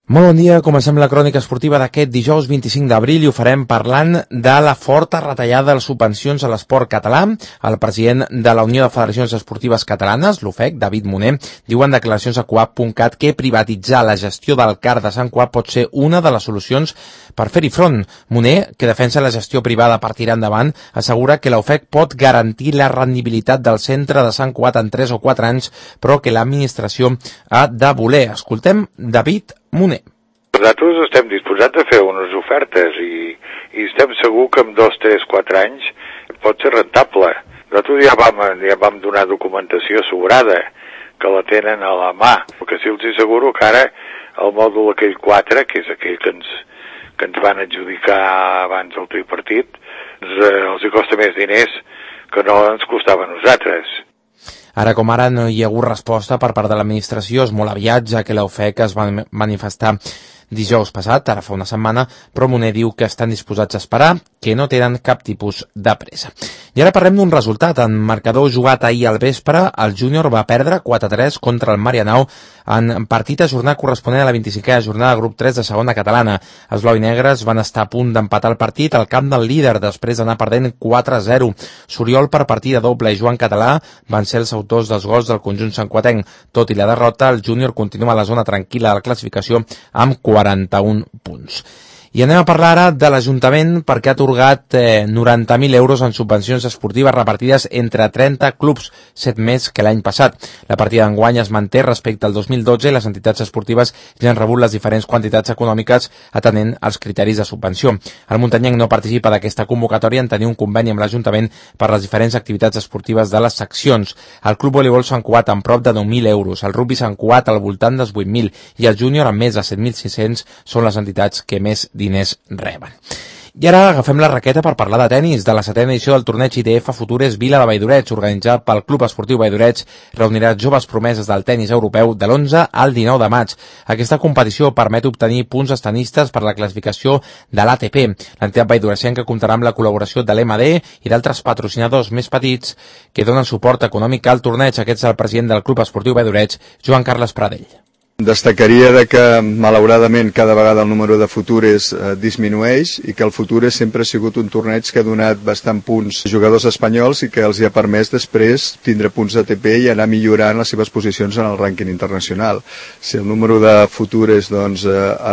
Molt bon dia, comencem la crònica esportiva d'aquest dijous 25 d'abril i ho farem parlant de la forta retallada de les subvencions a l'esport català. El president de la Unió de Federacions Esportives Catalanes, l'UFEC, David Moner, diu en declaracions a coap.cat que privatitzar la gestió del CAR de Sant Cugat pot ser una de les solucions per fer-hi front. Moner, que defensa la gestió privada per tirar endavant, assegura que la UFEC pot garantir la rendibilitat del centre de Sant Cugat en 3 o 4 anys, però que l'administració ha de voler. Escoltem David Moner. Nosaltres estem disposats a fer unes ofertes i estem segurs que en 2, 3, 4 anys pot ser rentable. Nosaltres ja vam donar documentació sobrada, que la tenen a la mà, perquè sí els asseguro que ara el mòdul aquell 4, que és aquell que ens van adjudicar abans del tripartit, els hi costa més diners que no ens costava a nosaltres. Ara com ara no hi ha hagut resposta per part de l'administració, és molt aviat, ja que la UFEC es va manifestar dijous passat, ara fa una setmana, però Moner diu que estan disposats a esperar, que no tenen cap tipus de pressa. I ara parlem d'un resultat. En marcador jugat ahir al vespre, el Júnior va perdre 4-3 contra el Marianao en partit a jornada corresponent a la 25a jornada de grup 3 de segona catalana. Els blau i negres van estar a punt d'empatar el partit al camp del líder després d'anar perdent 4-0. Soriol per partida doble i Joan Català van ser els autors dels gols del conjunt santcuatenc. Tot i la derrota, el Júnior continua a la zona tranquil·la de la classificació amb 41 punts. I anem a parlar ara de l'Ajuntament perquè ha atorgat 90.000 euros en subvencions esportives repartides entre 30 clubs, 7 més que l'any passat. La partida d'enguany es manté respecte al 2012 i les entitats esportives ja han rebut les diferents quantitats econòmiques atenent als criteris de subvenció. El muntanyenc no participa d'aquesta convocatòria en tenir un conveni amb l'Ajuntament per les diferents activitats esportives de les seccions. El Club Voleibol Sant Cugat amb prop de 9.000 euros, el Rugby Sant Cugat al voltant dels 8.000 i el Júnior amb més de 7.600 són les entitats que més diners reben. I ara agafem la raqueta per parlar de tenis. De la 7a edició del torneig ITF Futures Vila de Valldoreig, organitzat pel Club Esportiu Valldoreig, reunirà joves promeses del tenis europeu de l'11 al 19 de maig. Aquesta competició permet obtenir punts estenistes per la classificació de l'ATP. L'entitat valldoresenca comptarà amb la col·laboració de l'MD i d'altres patrocinadors més petits que donen suport econòmic al torneig. Aquest és el president del Club Esportiu Valldoreig, Joan Carles Pradell. Destacaria de que, malauradament, cada vegada el número de futures disminueix i que el Futures sempre ha sigut un torneig que ha donat bastant punts a jugadors espanyols i que els ha permès després tindre punts ATP i anar millorant les seves posicions en el rànquing internacional. Si el número de futures es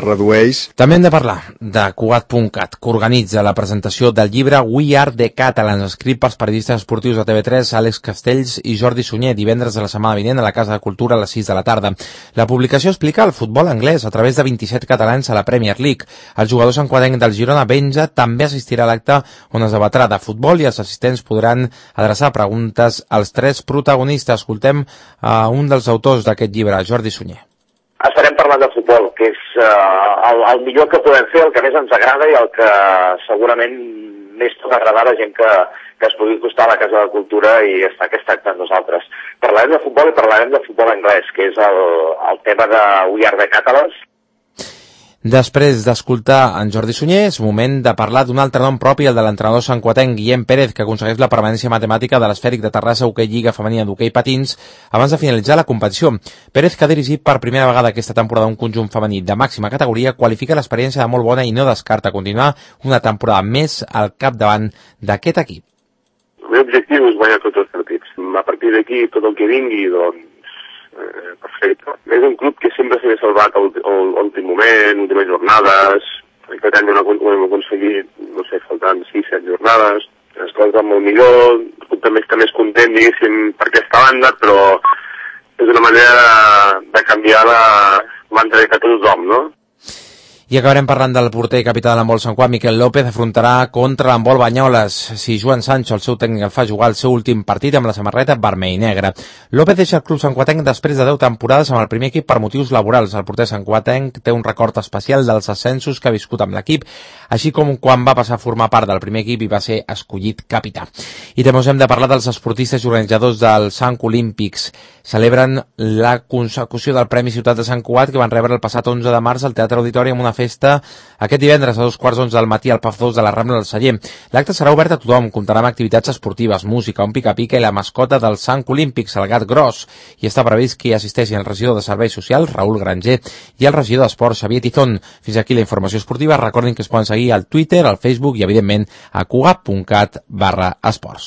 redueix... També hem de parlar de Cugat.cat, que organitza la presentació del llibre We Are the Catalans, escrit pels periodistes esportius de TV3, Àlex Castells i Jordi Sunyer, divendres de la setmana vinent a la Casa de Cultura a les 6 de la tarda. La publicació explica el futbol anglès a través de 27 catalans a la Premier League. El jugador santcuatenc del Girona, Benja, també assistirà a l'acte on es debatrà de futbol i els assistents podran adreçar preguntes als 3 protagonistes. Escoltem a un dels autors d'aquest llibre, Jordi Sunyer. Estarem parlant de futbol, que és el millor que podem fer, el que més ens agrada i el que segurament més pot agradar a la gent que es pugui costar a la Casa de Cultura i està aquest acte amb nosaltres. Parlarem de futbol i parlarem de futbol anglès, que és el tema de We Are the Catalans. Després d'escoltar en Jordi Sunyer, és moment de parlar d'un altre nom propi, el de l'entrenador santcuatenc Guillem Pérez, que aconsegueix la permanència matemàtica de l'Esfèric de Terrassa Hoquei Lliga Femenina d'Hoquei Patins abans de finalitzar la competició. Pérez, que ha dirigit per primera vegada aquesta temporada un conjunt femení de màxima categoria, qualifica l'experiència de molt bona i no descarta continuar una temporada més al capdavant d'aquest equip. El meu objectiu és guanyar tots els partits. A partir d'aquí, tot el que vingui, perfecte. És un club que sempre s'ha salvat a l'últim moment, últimes jornades, aquest any ho hem aconseguit, no sé, faltant 6-7 jornades, les coses van molt millor, el club també està més content, diguéssim, per aquesta banda, però és una manera de canviar la mentalitat de tothom, no? I acabarem parlant del porter i capità de l'handbol Sant Cugat, Miquel López, afrontarà contra l'handbol Banyoles si Joan Sancho, el seu tècnic, el fa jugar el seu últim partit amb la samarreta vermell i negra. López deixa el club santcuatenc després de 10 temporades amb el primer equip per motius laborals. El porter santcuatenc té un record especial dels ascensos que ha viscut amb l'equip, així com quan va passar a formar part del primer equip i va ser escollit capità. I també us hem de parlar dels esportistes i organitzadors dels Sant Olímpics. Celebren la consecució del Premi Ciutat de Sant Cugat que van rebre el passat 11 de març al Teatre Auditori amb una festa aquest divendres a 2:15 del matí al Pub 2 de la Rambla del Celler. L'acte serà obert a tothom, comptarà amb activitats esportives, música, un pica-pica i la mascota del Sant Olímpics, el gat gros, i està previst que hi assisteixi el regidor de Serveis Socials, Raül Granger, i el regidor d'Esports, Xavier Tizón. Fins aquí la informació esportiva. Recordin que es poden seguir al Twitter, al Facebook i, evidentment, a cugat.cat/esports.